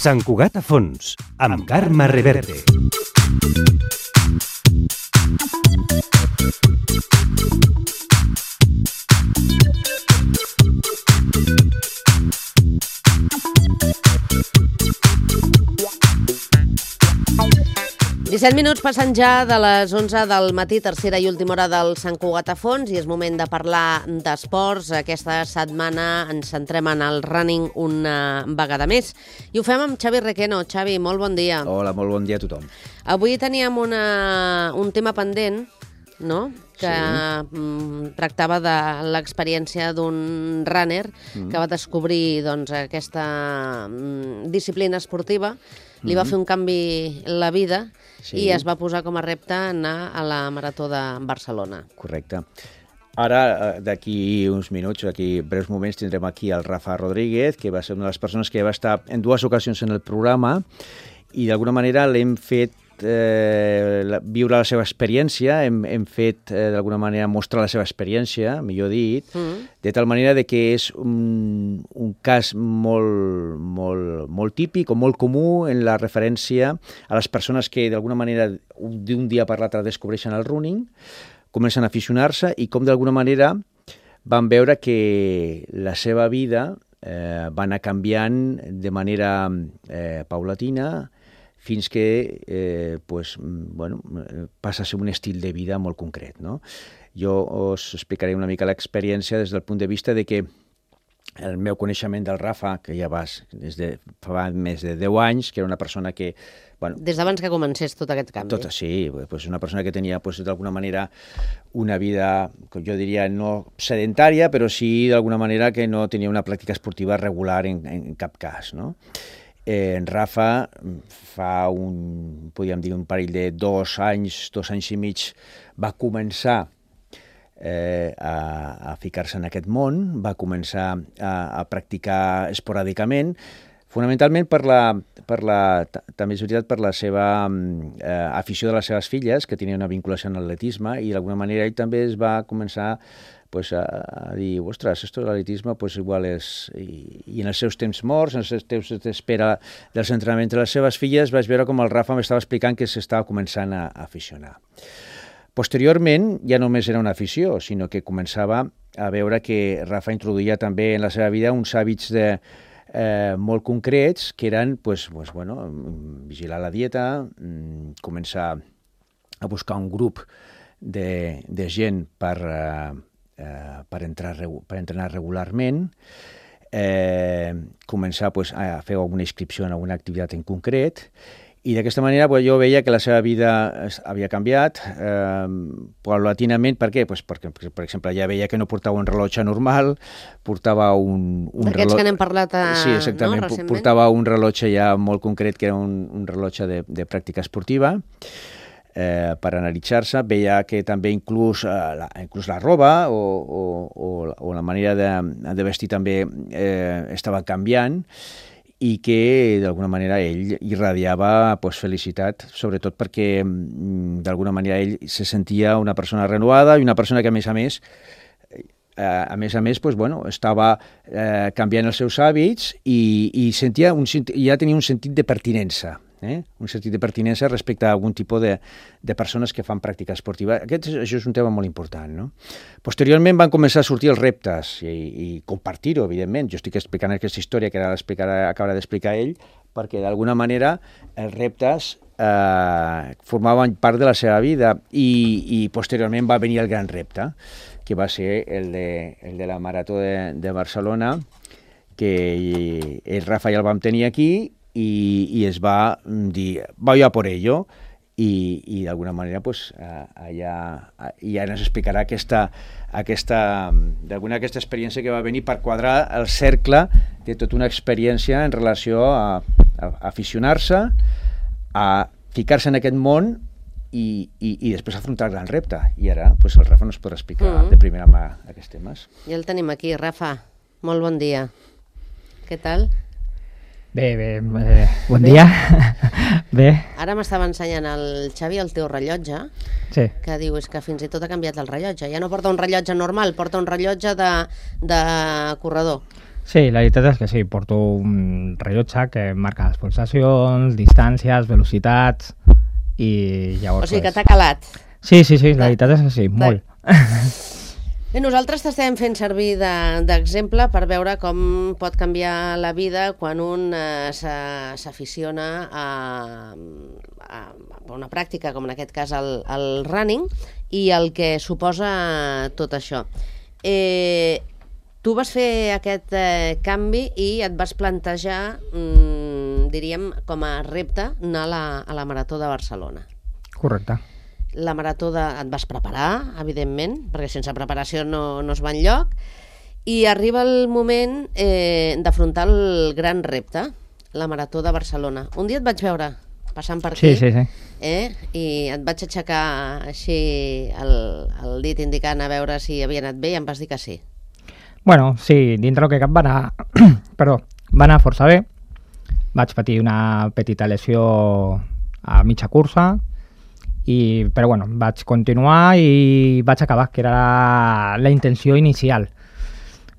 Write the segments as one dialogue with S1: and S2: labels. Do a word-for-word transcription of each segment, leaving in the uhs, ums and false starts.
S1: Sant Cugat a fons, amb Carme Reverte.
S2: disset minuts passant ja de les onze del matí, tercera i última hora del Sant Cugat a fons, i és moment de parlar d'esports. Aquesta setmana ens centrem en el running una vegada més. I ho fem amb Xavi Requeno. Xavi, molt bon dia.
S3: Hola, molt bon dia a tothom.
S2: Avui teníem una, un tema pendent, no?, que
S3: sí.
S2: tractava de l'experiència d'un runner mm. que va descobrir doncs, aquesta mm, disciplina esportiva, li mm. va fer un canvi la vida sí. i es va posar com a repte anar a la Marató de Barcelona.
S3: Correcte. Ara, d'aquí uns minuts, d'aquí breus moments, tindrem aquí el Rafa Rodríguez, que va ser una de les persones que va estar en dues ocasions en el programa i d'alguna manera l'hem fet Eh, viure la seva experiència, hem, hem fet eh, d'alguna manera mostrar la seva experiència, millor dit, mm. de tal manera de que és un, un cas molt, molt, molt típic o molt comú en la referència a les persones que d'alguna manera d'un dia per l'altre descobreixen el running, comencen a aficionar-se i com d'alguna manera van veure que la seva vida eh, va anar canviant de manera eh, paulatina fins que eh, pues, bueno, passa a ser un estil de vida molt concret, no? Jo us explicaré una mica l'experiència des del punt de vista de que el meu coneixement del Rafa, que ja vas des de fa més de deu anys, que era una persona que... Bueno,
S2: des d'abans que comencés tot aquest canvi.
S3: Tot, sí, pues una persona que tenia pues, d'alguna manera una vida, jo diria, no sedentària, però sí d'alguna manera que no tenia una pràctica esportiva regular en, en cap cas, no? Eh, en Rafa fa un, podríem dir, un parell de dos anys, dos anys i mig, va començar eh, a, a ficar-se en aquest món, va començar a, a practicar esporàdicament, fonamentalment per la, per la, també és veritat, per la seva eh, afició de les seves filles, que tenia una vinculació en l'atletisme, i d'alguna manera ell també es va començar pues, a, a dir, ostres, esto de l'atletisme pues, igual és... I, I en els seus temps morts, en els seus temps d'espera dels entrenaments de les seves filles, vaig veure com el Rafa m'estava explicant que s'estava començant a, a aficionar. Posteriorment, ja només era una afició, sinó que començava a veure que Rafa introduïa també en la seva vida uns hàbits de, eh, molt concrets, que eren pues, pues, bueno, vigilar la dieta, començar a buscar un grup de, de gent per... Eh, Eh, per, entrar, per entrenar regularment, eh, començar pues, a fer alguna inscripció en alguna activitat en concret, i d'aquesta manera pues, jo veia que la seva vida havia canviat eh, paulatinament. Per què? Pues perquè, per exemple, ja veia que no portava un rellotge normal, portava un... un
S2: D'aquests rellotge... que n'hem parlat a...
S3: sí, exactament, no, recentment. Portava un rellotge ja molt concret, que era un, un rellotge de, de pràctica esportiva, Eh, per analitzar-se. Veia que també inclús, eh, la, inclús la roba o, o, o, o la manera de, de vestir també eh, estava canviant i que d'alguna manera ell irradiava pues, felicitat, sobretot perquè d'alguna manera ell se sentia una persona renovada i una persona que a més a més eh, a més a més pues, bueno, estava eh, canviant els seus hàbits i, i sentia un, ja tenia un sentit de pertinença. Eh? un sentit de pertinença respecte a algun tipus de, de persones que fan pràctica esportiva. Aquest, això és un tema molt important, no? Posteriorment van començar a sortir els reptes i, i compartir-ho, evidentment. Jo estic explicant aquesta història que ara acaba d'explicar ell, perquè d'alguna manera els reptes eh, formaven part de la seva vida i, i posteriorment va venir el gran repte, que va ser el de, el de la Marató de, de Barcelona, que el Rafa ja el vam tenir aquí, I, i es va dir, voy a por ello, i, i d'alguna manera pues, allà, ja ens explicarà aquesta, aquesta, d'alguna aquesta experiència que va venir per quadrar el cercle de tota una experiència en relació a, a, a aficionar-se, a ficar-se en aquest món i, i, i després afrontar el gran repte. I ara pues, el Rafa nos podrà explicar mm. de primera mà aquests temes.
S2: Ja el tenim aquí, Rafa. Molt bon dia. Què tal?
S4: Bé, bé, eh, bon bé. dia. Bé.
S2: Ara m'estava ensenyant el Xavi el teu rellotge,
S4: sí.
S2: que diu és que fins i tot ha canviat el rellotge. Ja no porta un rellotge normal, porta un rellotge de, de corredor.
S4: Sí, la veritat és que sí, porto un rellotge que marca les pulsacions, distàncies, velocitats i llavors...
S2: O sigui que
S4: pues...
S2: t'ha calat.
S4: Sí, sí, sí, la veritat és que sí, molt.
S2: Bé, nosaltres t'estem fent servir d'exemple per veure com pot canviar la vida quan un eh, s'aficiona a, a, a una pràctica, com en aquest cas el, el running, i el que suposa tot això. Eh, tu vas fer aquest eh, canvi i et vas plantejar, mm, diríem, com a repte, anar a la, a la Marató de Barcelona.
S4: Correcte.
S2: La marató de... et vas preparar, evidentment, perquè sense preparació no, no es va enlloc, i arriba el moment eh, d'afrontar el gran repte, la Marató de Barcelona. Un dia et vaig veure passant per aquí,
S4: sí, sí, sí.
S2: Eh, i et vaig aixecar així el, el dit indicant a veure si havia anat bé i em vas dir que sí.
S4: Bueno, sí, dintre el que cap va anar... Perdó, va anar força bé. Vaig patir una petita lesió a mitja cursa, i, però bueno, vaig continuar i vaig acabar, que era la, la intenció inicial.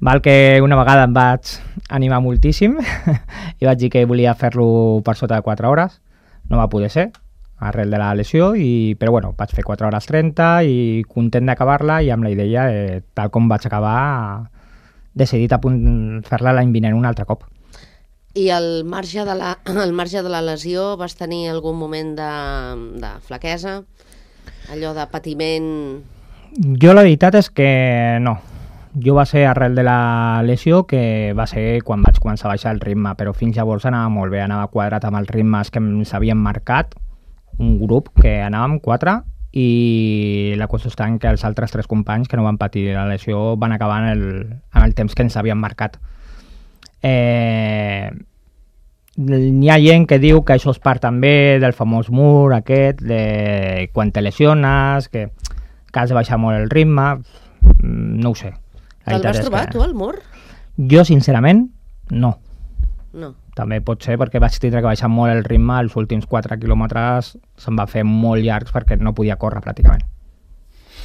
S4: Val que una vegada em vaig animar moltíssim i vaig dir que volia fer-lo per sota de quatre hores. No va poder ser, arrel de la lesió, i, però bueno, vaig fer quatre hores trenta i content d'acabar-la i amb la idea, eh, tal com vaig acabar, decidit a punt fer-la l'any vinent un altre cop.
S2: I al marge de la, al marge de la lesió vas tenir algun moment de, de flaquesa, allò de patiment?
S4: Jo la veritat és que no. Jo va ser arrel de la lesió, que va ser quan vaig començar a baixar el ritme, però fins llavors anava molt bé, anava quadrat amb els ritmes que ens havien marcat, un grup que anàvem quatre, i la qüestió està en que els altres tres companys que no van patir la lesió van acabar en el, en el temps que ens havien marcat. Eh, n'hi ha gent que diu que això és part també del famós mur aquest de quan te lesiones, que, que has de baixar molt el ritme. No ho sé.
S2: Te'l vas trobar,
S4: que...
S2: tu, al mur?
S4: Jo, sincerament, no.
S2: No.
S4: També pot ser perquè vaig tindre que baixar molt el ritme, els últims quatre quilòmetres se'm va fer molt llargs perquè no podia córrer pràcticament.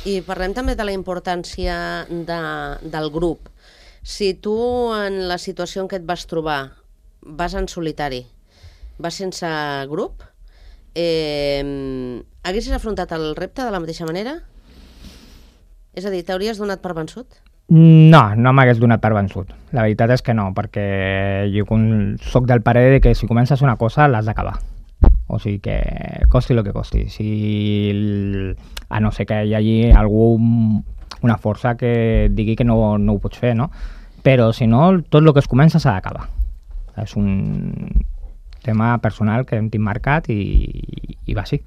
S2: I parlem també de la importància de, del grup. Si tu, en la situació en què et vas trobar, vas en solitari, vas sense grup, eh, haguessis afrontat el repte de la mateixa manera? És a dir, t'hauries donat per vençut?
S4: No, no m'hagués donat per vençut. La veritat és que no, perquè jo soc del parer de que si comences una cosa l'has d'acabar. O sigui que costi el que costi. Si, a no ser que hi hagi algú, una força que digui que no, no ho pots fer, no? Però si no, tot el que es comença s'ha d'acabar. És un tema personal que hem tinc marcat i, i va així.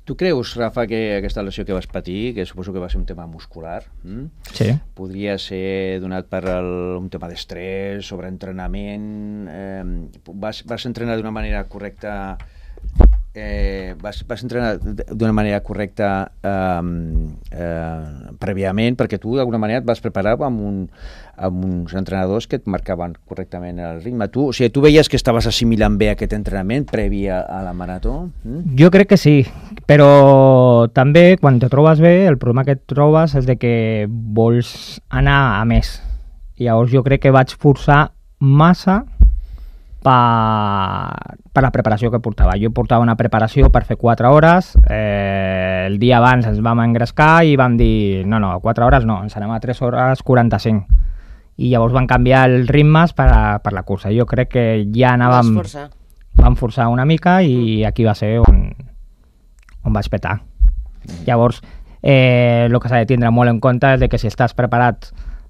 S3: Tu creus, Rafa, que aquesta lesió que vas patir, que suposo que va ser un tema muscular, hm?
S4: Sí.
S3: Podria ser donat per el, un tema d'estrès, sobreentrenament, eh, vas, vas entrenar d'una manera correcta, eh, vas, vas entrenar d'una manera correcta eh, eh, prèviament, perquè tu d'alguna manera et vas preparar amb, un, amb uns entrenadors que et marcaven correctament el ritme. Tu, o sigui, tu veies que estaves assimilant bé aquest entrenament previ a, a la marató? Mm?
S4: Jo crec que sí, però també quan te trobes bé, el problema que et trobes és de que vols anar a més. I llavors jo crec que vaig forçar massa per, per la preparació que portava. Jo portava una preparació per fer quatre hores, eh, el dia abans ens vam engrescar i vam dir, no, no, quatre hores no, ens anem a tres hores quaranta-cinc. I llavors van canviar els ritmes per, a, per la cursa. Jo crec que ja anàvem...
S2: Forçar.
S4: Vam forçar una mica i aquí va ser on, on vaig petar. Llavors, eh, el que s'ha de tindre molt en compte és de que si estàs preparat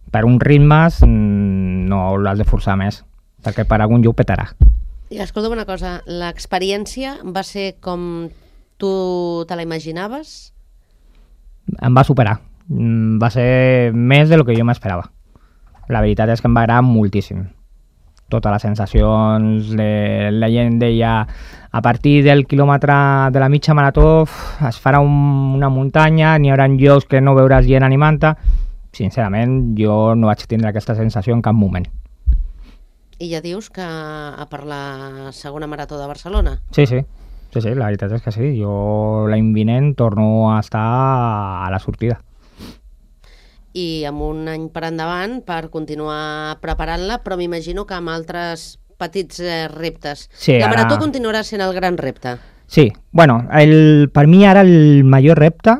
S4: per uns ritmes, no l'has de forçar més, perquè per algun lloc petarà.
S2: I escolta'm una cosa, l'experiència va ser com tu te la imaginaves?
S4: Em va superar. Va ser més de lo que jo m'esperava. La veritat és que em va agradar moltíssim. Totes les sensacions, de, la gent deia a partir del quilòmetre de la mitja marató es farà un, una muntanya, n'hi haurà llocs que no veuràs gent animant-te. Sincerament, jo no vaig tindre aquesta sensació en cap moment.
S2: I ja dius que a per la segona marató de Barcelona?
S4: Sí, sí, sí, sí, la veritat és que sí. Jo l'any vinent torno a estar a la sortida.
S2: i amb un any per endavant per continuar preparant-la, però m'imagino que amb altres petits eh, reptes.
S4: Sí,
S2: la marató
S4: ara...
S2: continuarà sent el gran repte.
S4: Sí, bueno, el, per mi ara el major repte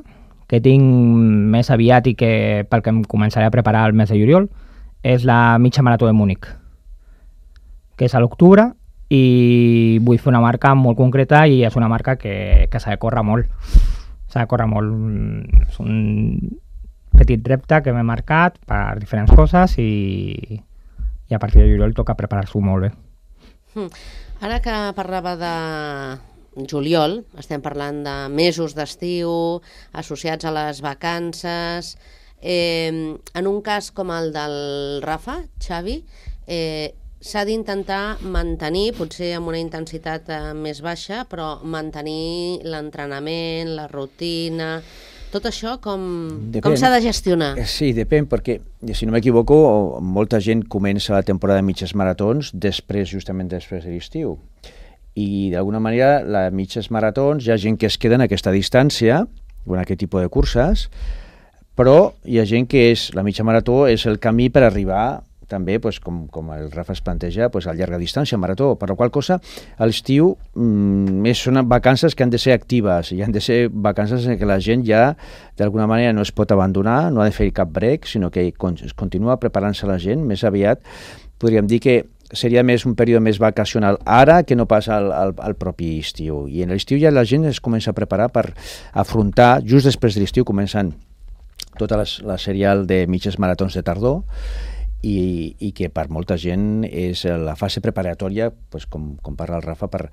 S4: que tinc més aviat i que pel que em començaré a preparar el mes de juliol és la mitja marató de Múnich, que és a l'octubre, i vull fer una marca molt concreta i és una marca que, que s'ha de córrer molt. S'ha de córrer molt. És un petit repte que m'he marcat per diferents coses i, i a partir de juliol toca preparar-s'ho molt bé.
S2: Hmm. Ara que parlava de juliol, estem parlant de mesos d'estiu associats a les vacances. Eh, en un cas com el del Rafa, Xavi, eh, s'ha d'intentar mantenir, potser amb una intensitat eh, més baixa, però mantenir l'entrenament, la rutina... Tot això com, com s'ha de gestionar?
S3: Sí, depèn, perquè, si no m'equivoco, molta gent comença la temporada de mitges maratons després, justament després de l'estiu. I d'alguna manera, les mitges maratons, hi ha gent que es queda en aquesta distància, en aquest tipus de curses, però hi ha gent que és, la mitja marató és el camí per arribar també, pues, com, com el Rafa es planteja, pues, a llarga distància, marató, per la qual cosa a l'estiu mmm, són vacances que han de ser actives, i han de ser vacances en què la gent ja d'alguna manera no es pot abandonar, no ha de fer cap break, sinó que es continua preparant-se la gent. Més aviat podríem dir que seria més un període més vacacional ara que no passa al, al, al propi estiu. I en l'estiu ja la gent es comença a preparar per afrontar, just després de l'estiu començant tota la, la serial de mitges maratons de tardor, i, i que per molta gent és la fase preparatòria, pues, com, com parla el Rafa, per,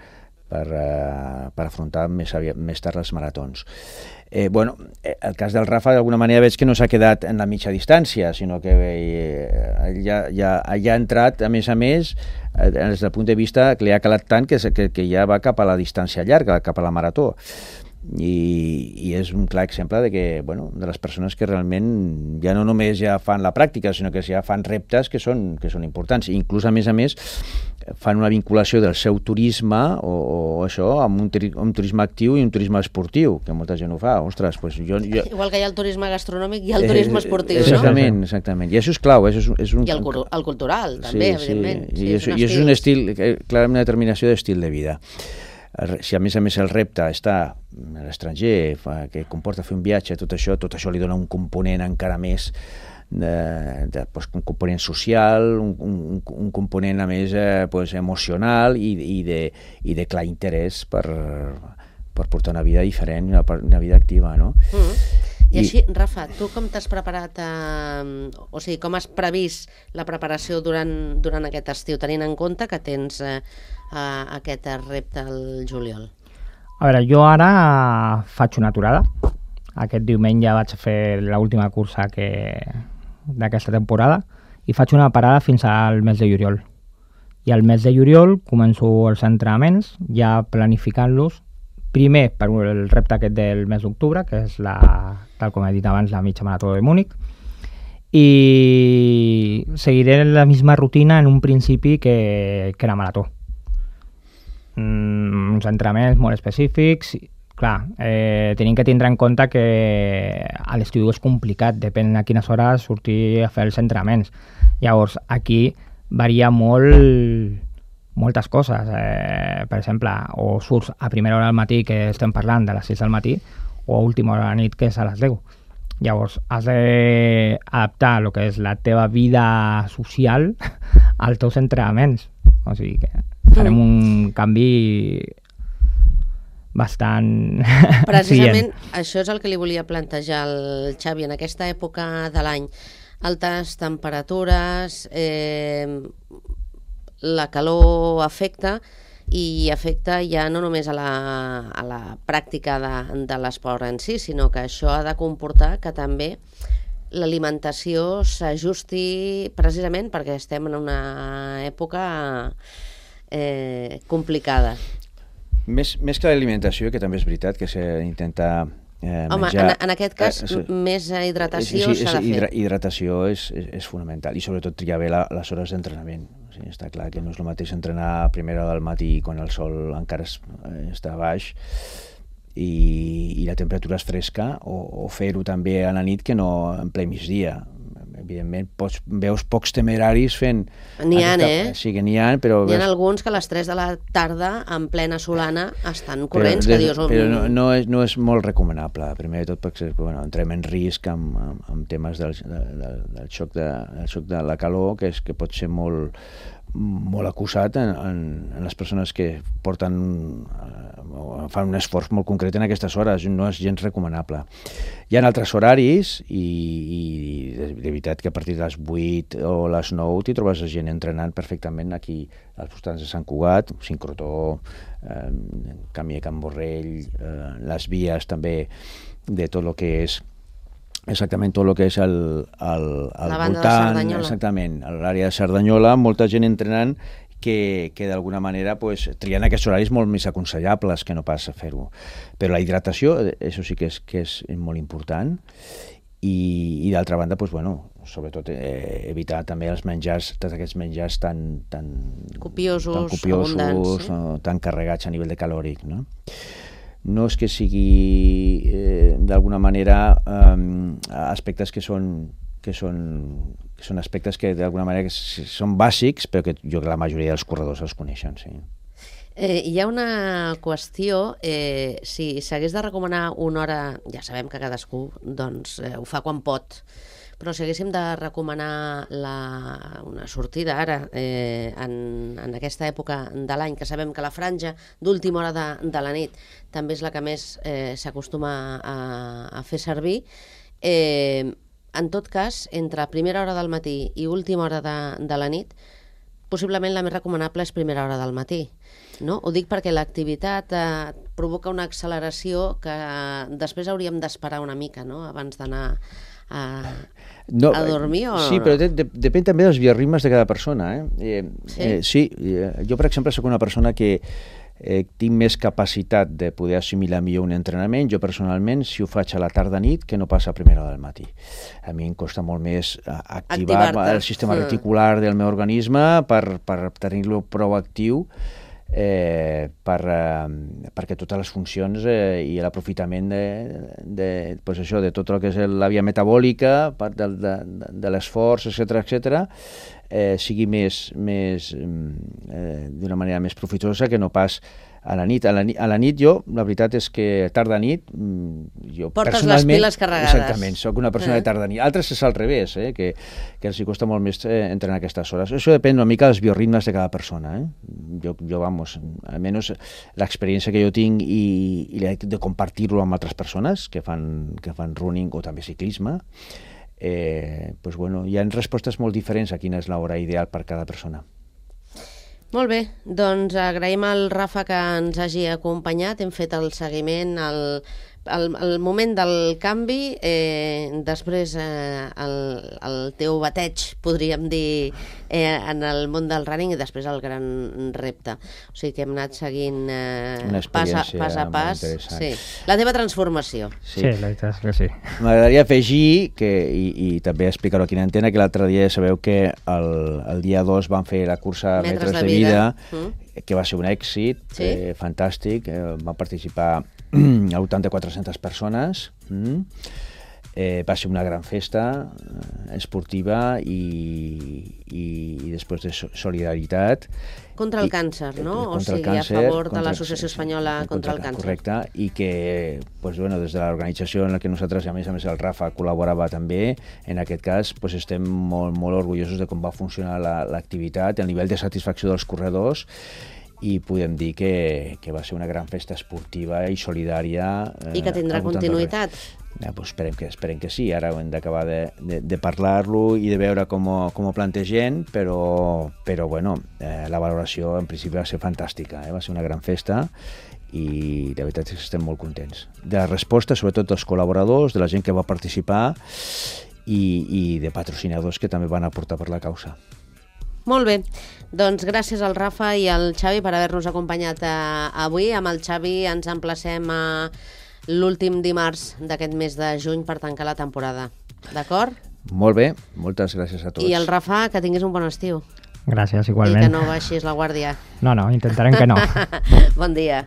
S3: per, uh, per afrontar més, més tard els maratons. Eh, bueno, el cas del Rafa d'alguna manera veig que no s'ha quedat en la mitja distància, sinó que eh, ja, ja, ja ha entrat, a més a més, eh, des del punt de vista que li ha calat tant que, que, que ja va cap a la distància llarga, cap a la marató. I, i és un clar exemple de que, bueno, de les persones que realment ja no només ja fan la pràctica, sinó que ja fan reptes que són, que són importants. I inclús, a més a més, fan una vinculació del seu turisme o, o això amb un, un turisme actiu i un turisme esportiu, que molta gent ho fa. Ostres, pues jo, jo...
S2: Igual que hi ha el turisme gastronòmic i el turisme esportiu,
S3: eh, exactament,
S2: no?
S3: Exactament, i això és clau. És, és un...
S2: I el, el cultural, també, sí, evidentment.
S3: Sí.
S2: Sí,
S3: I,
S2: és
S3: això, i és un estil, clarament una determinació d'estil de vida. Si a més a més el repte està a l'estranger, que comporta fer un viatge, tot això, tot això li dona un component encara més, de, de, pues, un component social, un, un, un component a més eh, pues, emocional i, i, de, i de clar interès per, per portar una vida diferent, una, una vida activa, no?
S2: Mm. I així, Rafa, tu com t'has preparat, eh, o sigui, com has previst la preparació durant, durant aquest estiu, tenint en compte que tens eh, eh, aquest repte al juliol?
S4: A veure, jo ara faig una aturada. Aquest diumenge vaig a fer l'última cursa que... d'aquesta temporada i faig una parada fins al mes de juliol. I al mes de juliol començo els entrenaments, ja planificant-los, primer per el repte aquest del mes d'octubre, que és, la, tal com he dit abans, la mitja marató de Múnich, i seguiré la misma rutina en un principi que, que la marató. Mm, uns entrenaments molt específics. Clar, eh, tenim que tindre en compte que a l'estiu és complicat, depèn a quines hores sortir a fer els entrenaments. Llavors, aquí varia molt moltes coses. Eh, per exemple, o surts a primera hora del matí, que estem parlant de les sis del matí, o a última hora de la nit, que és a les deu. Llavors, has d'adaptar el que és la teva vida social als teus entrenaments. O sigui que farem un canvi bastant...
S2: Precisament això és el que li volia plantejar al Xavi en aquesta època de l'any. Altes temperatures, eh, la calor afecta i afecta ja no només a la, a la pràctica de, de l'esport en si, sinó que això ha de comportar que també l'alimentació s'ajusti precisament perquè estem en una època eh, complicada.
S3: Més, més que l'alimentació, que també és veritat que s'ha d'intentar eh,
S2: Home,
S3: menjar...
S2: en, en aquest cas, eh, més hidratació
S3: sí, sí,
S2: s'ha de fer.
S3: Hidra, hidratació és, és, és fonamental, i sobretot triar bé la, les hores d'entrenament. O sigui, està clar que no és el mateix entrenar a primera hora del matí quan el sol encara es, eh, està baix i, i la temperatura és fresca, o, o fer-ho també a la nit que no en ple migdia. Evidentment, pots, veus pocs temeraris fent...
S2: N'hi ha, eh?
S3: Sí que n'hi ha, però...
S2: N'hi ha
S3: veus...
S2: alguns que a les tres de la tarda, en plena solana, estan corrents,
S3: però,
S2: que dius...
S3: Però no, no, és, no és molt recomanable, primer de tot perquè bueno, entrem en risc amb, amb, amb temes del, del, del, xoc de, del xoc de la calor, que, és, que pot ser molt, molt acusat en, en, en les persones que porten o fan un esforç molt concret en aquestes hores, no és gens recomanable. Hi ha altres horaris i, i de veritat que a partir de les vuit o les nou t'hi trobes gent entrenant perfectament aquí als voltants de Sant Cugat, Sincrotó, eh, Camí de Can Borrell, eh, les vies també de tot el que és exactament tot el que és el, el, el voltant, exactament, a l'àrea de Cerdanyola, molta gent entrenant que, que d'alguna manera pues, trien aquests horaris molt més aconsellables que no pas fer-ho. Però la hidratació, això sí que és, que és molt important, i, i d'altra banda, pues, bueno, sobretot eh, evitar també els menjars, tots aquests menjars tan, tan
S2: copiosos,
S3: tan, copiosos,
S2: abundants,
S3: no? Tan carregats a nivell de calòric, no? No és que sigui eh, d'alguna manera eh, aspectes que són que són, que són aspectes que d'alguna manera que són bàsics, però que jo que la majoria dels corredors els coneixen, sí.
S2: Eh, hi ha una qüestió, eh, si s'hagués de recomanar una hora, ja sabem que cadascú doncs, eh, ho fa quan pot, però si haguéssim de recomanar la, una sortida ara, eh, en, en aquesta època de l'any, que sabem que la franja d'última hora de, de la nit també és la que més eh, s'acostuma a, a fer servir, eh, en tot cas, entre primera hora del matí i última hora de, de la nit, possiblement la més recomanable és primera hora del matí. No? Ho dic perquè l'activitat eh, provoca una acceleració que després hauríem d'esperar una mica, no? Abans d'anar a,
S3: no,
S2: a dormir. O
S3: sí,
S2: no?
S3: però de, de, depèn també dels bioritmes de cada persona. Eh? Eh,
S2: sí?
S3: Eh, sí, eh, jo per exemple soc una persona que eh, tinc més capacitat de poder assimilar millor un entrenament. Jo personalment, si ho faig a la tarda-nit, que no passa a primera hora del matí. A mi em costa molt més activar el sistema mm. reticular del meu organisme per, per tenir-lo prou actiu eh, per, eh, perquè totes les funcions eh, i l'aprofitament de, de, pues això, de tot el que és la via metabòlica, part de, de, de l'esforç, etcètera, etcètera, eh, sigui més, més eh, d'una manera més profitosa que no pas a la nit. A la nit, a la nit jo, la veritat és que tarda nit, jo
S2: portes
S3: personalment...
S2: les piles carregades.
S3: Exactament, soc una persona eh. de tarda nit. Altres és al revés, eh, que, que els hi costa molt més eh, entrenar aquestes hores. Això depèn una mica dels bioritmes de cada persona. Eh? Jo, jo, vamos, almenys l'experiència que jo tinc i, i de compartir-lo amb altres persones que fan, que fan running o també ciclisme, eh, pues bueno, hi ha respostes molt diferents a quina és l'hora ideal per cada persona.
S2: Molt bé, doncs agraïm al Rafa que ens hagi acompanyat, hem fet el seguiment, el, el, el moment del canvi, eh, després eh, el, el teu bateig, podríem dir, eh, en el món del running i després el gran repte. O sigui que hem anat seguint eh, pas, a, pas a pas sí. La teva transformació.
S4: Sí, sí, la veritat és que sí.
S3: M'agradaria afegir, que, i, i també explicar-ho aquí en antena, que l'altre dia sabeu que el, el dia dos van fer la cursa Metres, Metres de Vida, vida mm. que va ser un èxit, sí? eh, fantàstic, eh, van participar a voltant de quatre-centes persones, mm. eh, va ser una gran festa eh, esportiva i, i, i després de solidaritat.
S2: Contra el
S3: I,
S2: càncer, no?
S3: O
S2: sigui,
S3: càncer,
S2: a favor de l'Associació Espanyola contra, contra el Càncer.
S3: Correcte, i que pues, bueno, des de l'organització en la que nosaltres, a més a més el Rafa col·laborava també, en aquest cas pues, estem molt, molt orgullosos de com va funcionar l'activitat, el nivell de satisfacció dels corredors, i podem dir que, que va ser una gran festa esportiva i solidària.
S2: I que tindrà continuïtat.
S3: Ja, pues esperem, que, esperem que sí, ara hem d'acabar de, de, de parlar-lo i de veure com, com ho plantegem, però, però bueno, eh, la valoració en principi va ser fantàstica, eh? Va ser una gran festa i de veritat és que estem molt contents. De la resposta, sobretot dels col·laboradors, de la gent que va participar i, i de patrocinadors que també van aportar per la causa.
S2: Molt bé, doncs gràcies al Rafa i al Xavi per haver-nos acompanyat eh, avui. Amb el Xavi ens emplacem a l'últim dimarts d'aquest mes de juny per tancar la temporada. D'acord?
S3: Molt bé, moltes gràcies a tots.
S2: I el Rafa, que tinguis un bon estiu.
S4: Gràcies, igualment.
S2: I que no baixis la guàrdia.
S4: No, no, intentarem que no.
S2: Bon dia.